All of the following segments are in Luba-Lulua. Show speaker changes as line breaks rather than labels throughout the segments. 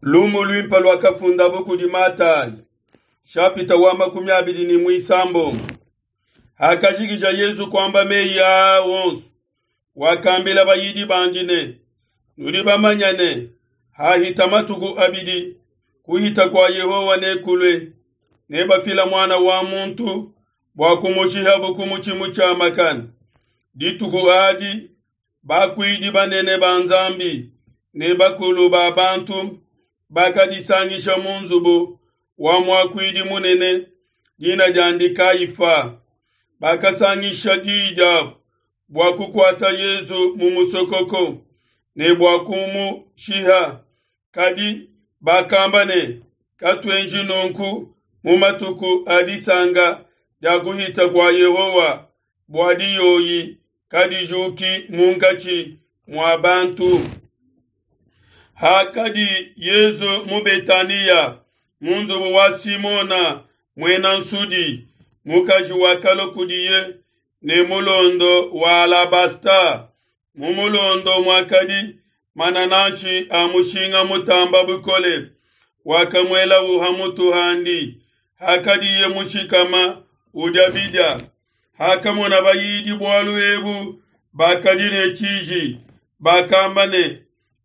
Lumu luimpe luakafundabo kudi Matayi, shapita wa 26. Hakajikija Yezu kuamba meyi aa onso, wakambila bayidi bandi ne, Nudi bamanya ne, hahita matuku abidi, kuhita kua Yehowa nekulue, nebafila Muana wa muntu bua kumushihabo ku mutshi mutshiamakane. Dituku adi bakuidi banene ba Nzambi ne bakulu ba bantu bakadisangisha mu nzubu wa muakuidi munene, dina diandi Kayifa. Bakasangisha diyi diabo bua kukuata Yezu mu musokoko ne bua kumushiha. Kadi bakamba ne, Katuenji nunku mu matuku a disanka dia kuhita kua Yehowa, bua diyoyi kadijuki munkatshi mua bantu. Hakadi Yezu mu Betaniya mu nzubu wa Simona muena nsudi, mukaji wakalua kudiye ne mulondo wa alabasta, mu mulondo muakadi manananshi a mushinga mutamba bukole, wakamuelau ha mutu handi hakadiye mushikama udia bidia. Hakamona bayidi bualu ebu, bakadi ne tshiji, bakamba ne,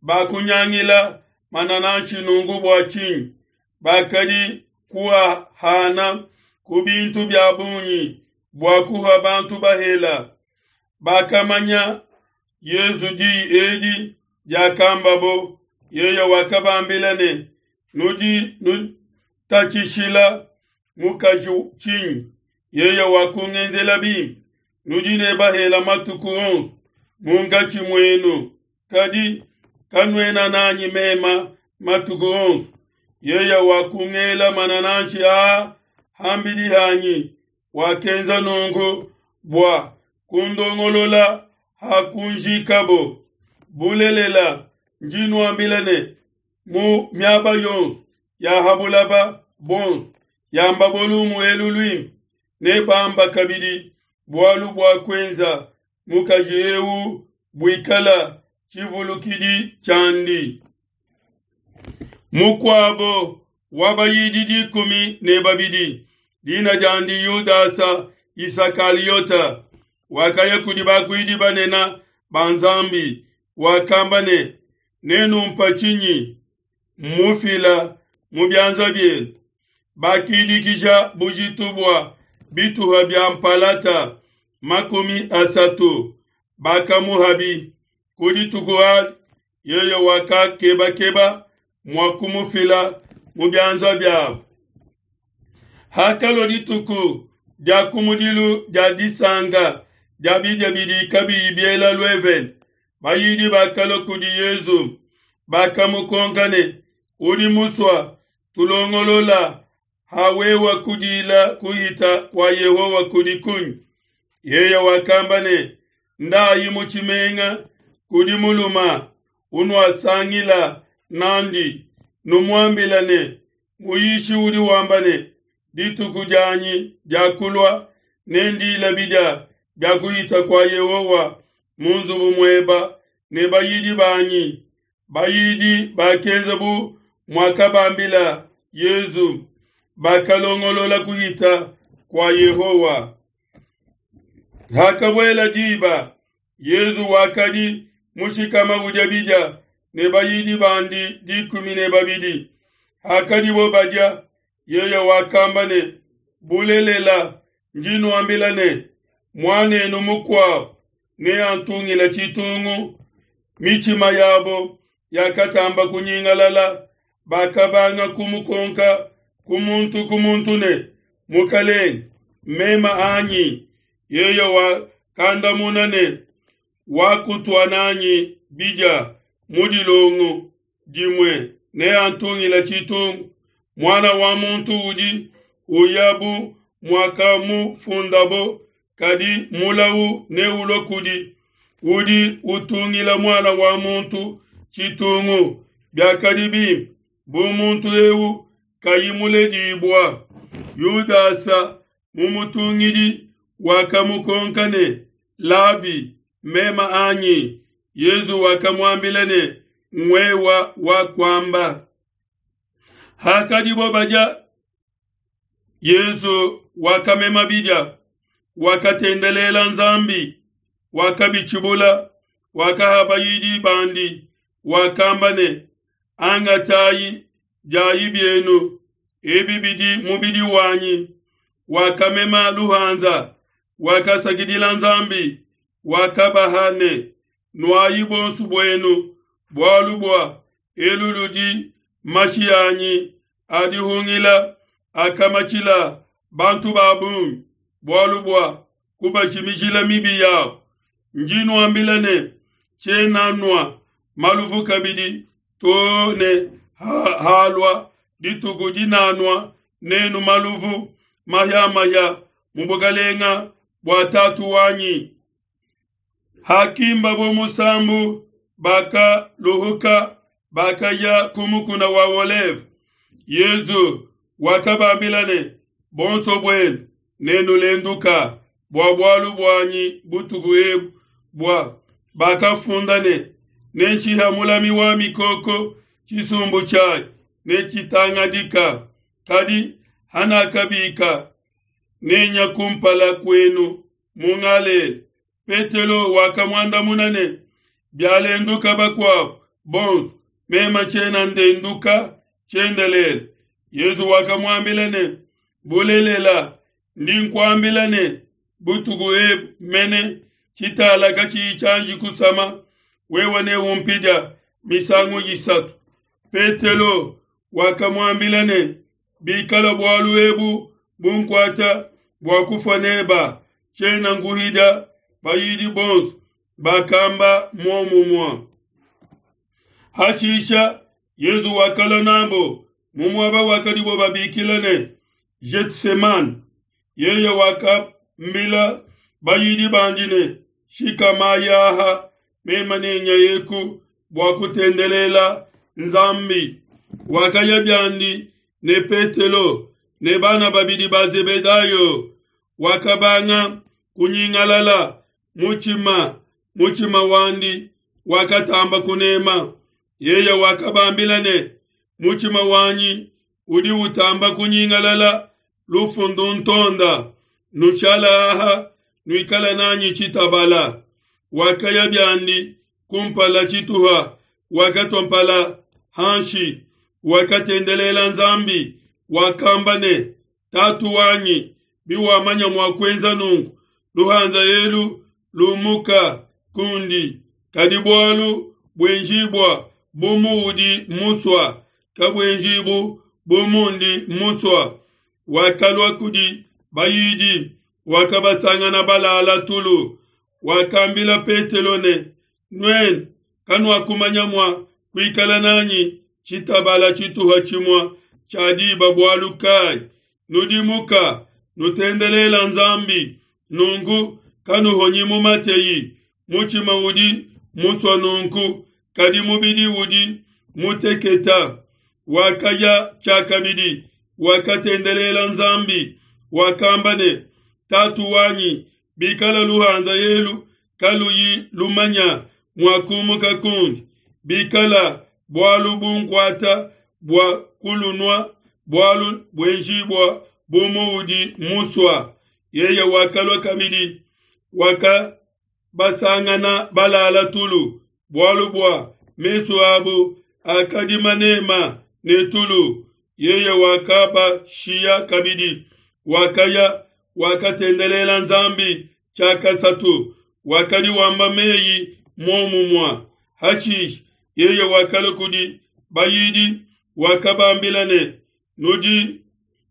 Bakunyangila manananshi nunku bua tshinyi? Bakadi kuahana ku bintu bia bungi bua kuha bantu bahela. Bakamanya Yezu diyi edi diakambabo, yeye wakabambila ne, Nudi nutatshishila mukaji tshinyi? Yeye wakungenzela bimpe. Nudi ne bahela matuku onso munkatshi muenu, kadi kanuena nanyi mema matuku onso. Yeye wakungela manananshi aa ham'bidi hanyi, wakenza nunku bua kundongolola ha kunjikabo. Bulelela, ndi nuambila ne, mu miaba yonso ya ha bulaba buonso yambabo lumu elu luimpe, nebamba kabidi bualu bua kuenza mukaji eu buikala tshivulukidi tshiandi. Mukuabo wa bayidi 12, dina diandi Yudasa Isakaliota, wakaya kudi bakuidi banene ba Nzambi, wakamba ne, Nenumpa tshinyi mmufila mu bianza bienu? Bakidikija bujitu bua bituha bia mpalata 30, bakamuhabi. Ku dituku adi yeye wakakebakeba mua kumufila mu bianza biabo. Hakalua dituku dia kumudilu dia disanka dia bidia bidi kabiyi biela luevene, bayidi bakalua kudi Yezu, bakamukonka ne, Udi musua tulongolola ha wewa kudila kuhita kua Yehowa kudi kunyi? Yeye wakamba ne, Ndayi mu tshimenga kudi muluma unuasangila nandi, numuambila ne, Muyishi udi wamba ne, Dituku dianyi diakulua, nendila bidia bia kuhita kua Yehowa mu nzubu mueba ne bayidi banyi. Bayidi bakenza bu muakabambila Yezu, bakalongolola kuhita kua Yehowa. Hakabuela diba, Yezu wakadi mushikama udia bidia ne bayidi bandi 12. Hakadibo badia, yeye wakamba ne, Bulelela, ndi nuambila ne, muanenu mukuabo neantungila tshitungu. Mitshima yabo yakatamba kunyingalala, bakabanga kumukonka ku muntu ku muntu ne, Mukelenge, mema anyi? Yeye wakandamuna ne, Wakutua nanyi bidia mu dilongo dimue neantungila tshitungu. Muana wa muntu udi uya bu muakamufundabo, kadi mulau neulue kudi udi utungila Muana wa muntu tshitungu. Biakadi bimpe bu muntu eu kayi muledibua. Yudasa mumutungidi wakamukonka ne, Labi, mema anyi? Yezu wakamuambila ne, Ngwewa wakuamba. Hakadibo badia, Yezu wakamema bidia, wakatendelela Nzambi, wakabitshibula, wakaha bayidi bandi, wakamba ne, Angatayi, diayi bienu, ebi bidi mubidi wanyi. Wakamema luhanza, wakasakidila Nzambi, wakabaha ne, Nuayi bonso buenu, bualu bua elu ludi mashi anyi a dihungila akamatshila bantu ba bungi, bualu bua kubajimijila mibi yabo. Ndi nuambila ne, tshiena nua maluvu kabidi too ne halua dituku dinanua nenu maluvu mahia-mahia mu bukalenga bua Tatu wanyi. Hakimbabo musambu, bakaluhuka, bakaya ku mukuna wa Oleve. Yezu wakabambila ne, Bonso buenu nenulenduka bua bualu buanyi butuku ebu, bua bakafunda ne, Nenshiha mulami wa mikoko, tshisumbu tshiayi netshitangadika. Kadi hanakabika, nenya kumpala kuenu mu Galela. Petelo wakamuandamuna ne, Bialenduka bakuabo bonso, meme tshiena ndenduka tshiendelele. Yezu wakamuambila ne, Bulelela, ndi nkuambila ne, butuku ebu mene tshitala katshiyi tshianji kusama, wewe neumpidia misangu isatu. Petelo wakamuambila ne, Bikala bualu ebu bunkuata bua kufua neba, tshiena nkuhidia. Bayidi bonso bakamba muomumue. Hashisha Yezu wakalua nabo mu muaba wakadibo babikila ne, Getsemane. Yeye wakambila bayidi bandi ne, Shikamayi aha, meme nenyayeku bua kutendelela Nzambi. Wakaya biandi ne Petelo ne bana babidi ba Zebedayo. Wakabanga kunyingalala mutshima, mutshima wandi wakatamba kunema. Yeye wakabambila ne, Mutshima wanyi udi utamba kunyingalala lufu nduntonda, nushala aha, nuikala nanyi tshitabala. Wakaya biandi kumpala tshituha, wakatua mpala hanshi, wakatendelela Nzambi, wakamba ne, Tatu wanyi, biwamanya mua kuenza nunku, luhanza elu lumuka kundi, kadi bualu buenjibua bu muudi musua, kabuenjibu bu mundi musua. Wakalua kudi bayidi, wakabasangana balala tulu. Wakambila Petelo ne, Nuenu kanuakumanya mua kuikala nanyi tshitabala tshituha tshimue tshia diba bualu kai? Nudimuka, nutendelela Nzambi, nunku kanuhonyi mu mateyi. Mutshima udi musua nunku, kadi mubidi udi muteketa. Wakaya tshiakabidi, wakatendelela Nzambi, wakamba ne, Tatu wanyi, bikala luhanza elu kaluyi lumanya mua kumuka kundi, bikala bualu bunkuata bua kulunua, bualu buenjibua bu muudi musua. Yeye wakalua kabidi, wakabasangana balala tulu, bualu bua mesu abu akadi manema ne tulu. Yeye wakabashiya kabidi, wakaya, wakatendelela Nzambi tshiakasatu, wakadi wamba meyi muomumue. Hashishe yeye wakalua kudi bayidi, wakabambila ne, Nudi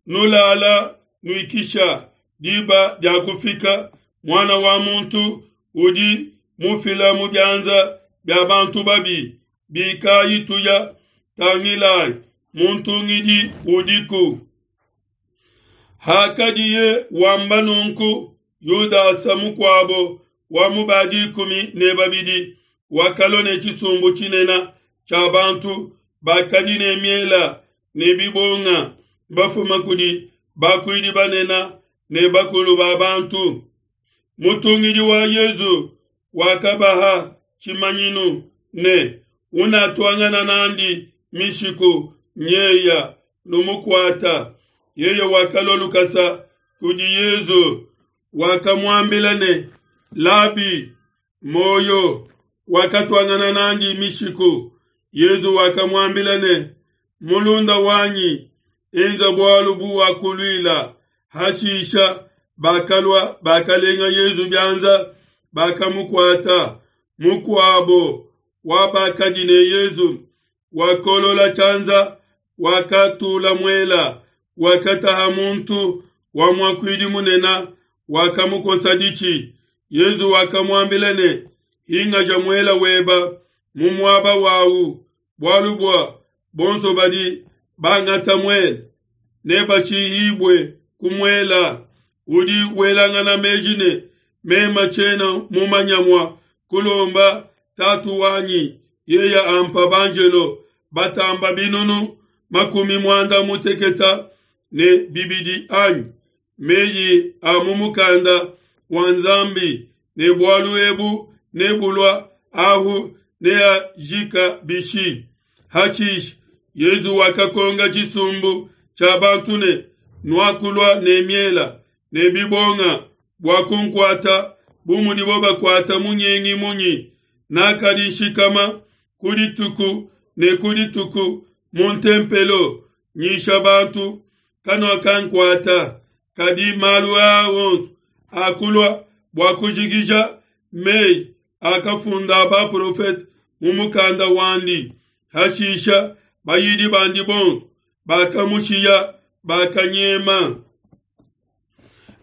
nulala nuikisha, diba diakufika, Muana wa muntu udi mufila mu bianza bia bantu babi. Bikayi tuya, tangilayi, muntungidi udiku. Hakadiye wamba nunku, Yudasa mukuabo wa mu ba dikumi ne babidi wakalua ne tshisumbu tshinene tshia bantu bakadi ne miela ne bibonga, bafuma kudi bakuidi banene ne bakulu ba bantu. Mutungidi wa Yezu wakabaha tshimanyinu ne, Unatuangana nandi mishiku nyeya. numukuata. Yeye wakalua lukasa kudi Yezu, wakamuambila ne, Labi, muoyo. Wakatuangana nandi mishiku. Yezu wakamuambila ne, Mulunda wanyi, enza bualu buwakuluila. Hashisha bakalua, bakalenga Yezu bianza, bakamukuata. Mukuabo wa bakadi ne Yezu wakolola tshianza, wakatula muela, wakataha muntu wa muakuidi munene, wakamukosa ditshi. Yezu wakamuambila ne, Hingaja muela weba mu muaba wawu, bualu bua bonso badi bangata muela nebashihibue ku muela. Udi welangana meji ne, Mema tshiena mumanya mua kulomba Tatu wanyi, yeye ampa banjelo batamba binunu makumi muanda muteketa ne bibidi anyi? Meyi a mu mukanda wa Nzambi ne bualu ebu nebulua ahu neajika bishi? Hashishe Yezu wakakonga tshisumbu tshia bantu ne, Nuakulua ne miela ne bibonga bua kunkuata bu mudibo bakuata munyengi munyi? Nakadi nshikama ku dituku ne ku dituku mu ntempelo nyisha bantu, kanuakankuata. Kadi malu aa onso akulua bua kujikija meyi akafunda baprofete mu mukanda wandi. Hashisha bayidi bandi bonso bakamushiya, bakanyema.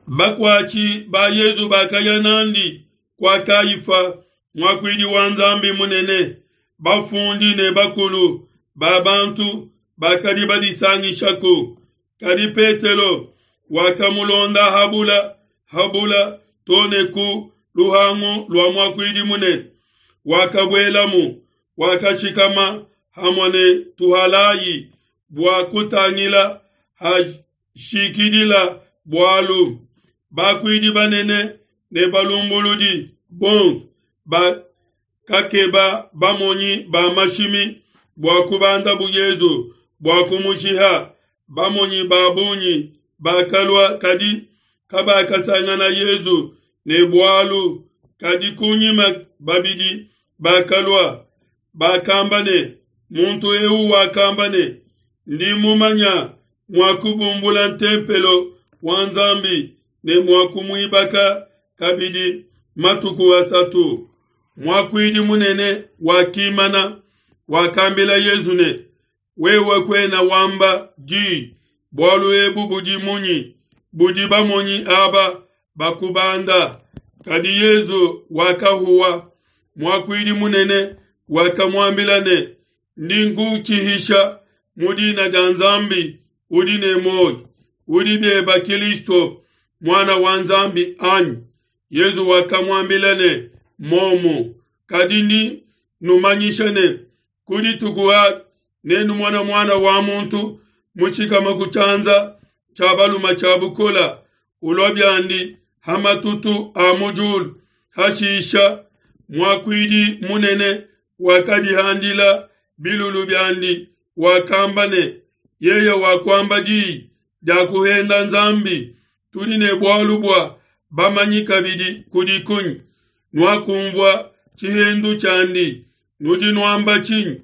Bakuatshi ba Yezu bakaya nandi kua Kayifa, muakuidi wa Nzambi munene. Bafundi ne bakulu ba bantu bakadi badisangishaku. Kadi Petelo wakamulonda habula habula to ne ku luhangu lua muakuidi munene. Wakabuelamu, wakashikama hamue ne tuhalai bua kutangila hashikidila bualu. Bakuidi banene ne balumbuludi bonso bakakeba bamonyi ba mashimi bua kubandabu Yezu bua kumushiha. Bamonyi ba bungi bakalua, kadi kabakasangana Yezu ne bualu. Kadi kunyima babidi bakalua, bakamba ne, Muntu eu wakamba ne, Ndi mumanya mua kubumbula ntempelo wa Nzambi ne mua kumuibaka kabidi matuku asatu. Muakuidi munene wakimana, wakambila Yezu ne, Wewe kuena wamba di, bualu ebu budi munyi budi bamonyi aba bakubanda? Kadi Yezu wakahuwa. Muakuidi munene wakamuambila ne, Ndi nkutshihisha mu dina dia Nzambi udi ne muoyo, udi bieba Kilisto, Muana wa Nzambi, anyi? Yezu wakamuambila ne, Momu. Kadi ndi numanyisha ne, ku dituku adi nenumona Muana wa muntu mushikama ku tshianza tshia balume tshia bukola, ulua biandi ha matutu a mu diulu. Hashisha muakuidi munene wakadihandila bilulu biandi, wakamba ne, Yeye wakuamba diyi dia kuhenda Nzambi, tudi ne bualu bua bamanyi kabidi kudi kunyi? Nuakumvua tshihendu tshiandi, nudi nuamba tshinyi?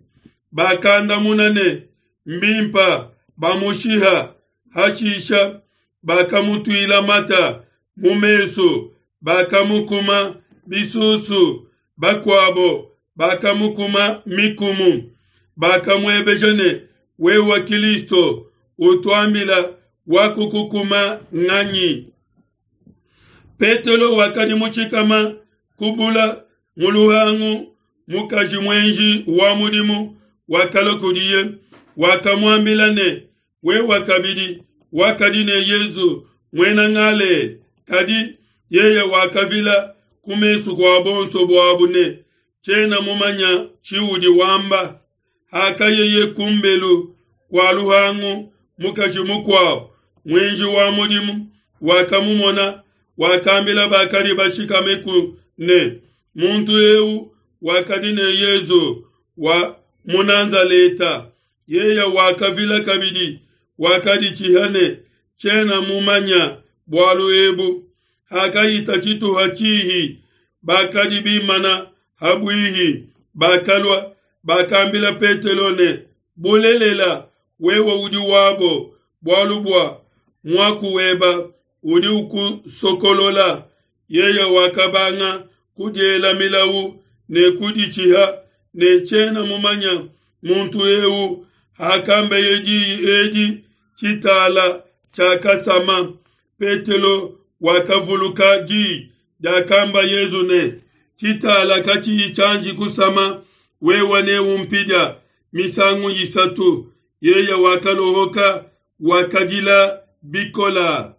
Bakandamuna ne, Mbimpa bamushiha. Hashisha bakamutuila mata mu mesu, bakamukuma bisusu, bakuabo bakamukuma mikumu. Bakamuebeja ne, Wewe Kilisto, utuambila wakukukuma nganyi? Petelo wakadi mushikama kubula mu luhangu, mukaji muenji wa mudimu wakalua kudiye, wakamuambila ne, Wewe kabidi wakadi ne Yezu muena Galela. Kadi yeye wakavila ku mesu kua bonso buabu ne, Tshiena mumanya tshiudi wamba. Hakayeye kumbelu kua luhangu, mukaji mukuabo muenji wa mudimu wakamumona, wakambila bakadi bashikameku ne, Muntu eu wakadi ne Yezu wa mu Nazaleta. Yeye wakavila kabidi. Wakaditshiha ne, Tshiena mumanya bualu ebu. Hakahita tshituha tshihi, bakadi bimana ha buihi bakalua, bakambila Petelo ne, Bulelela, wewe udi wabo, bualu bua muaku weba udi ukusokolola. Yeye wakabanga kudiela milau ne kuditshiha ne, Tshiena mumanya muntu eu. Hakambeye diyi edi, tshitala tshiakasama. Petelo wakavuluka diyi diakamba Yezu ne, Tshitala katshiyi tshianji kusama, wewe neumpidia misangu isatu. Yeye wakalohoka, wakadila bikola.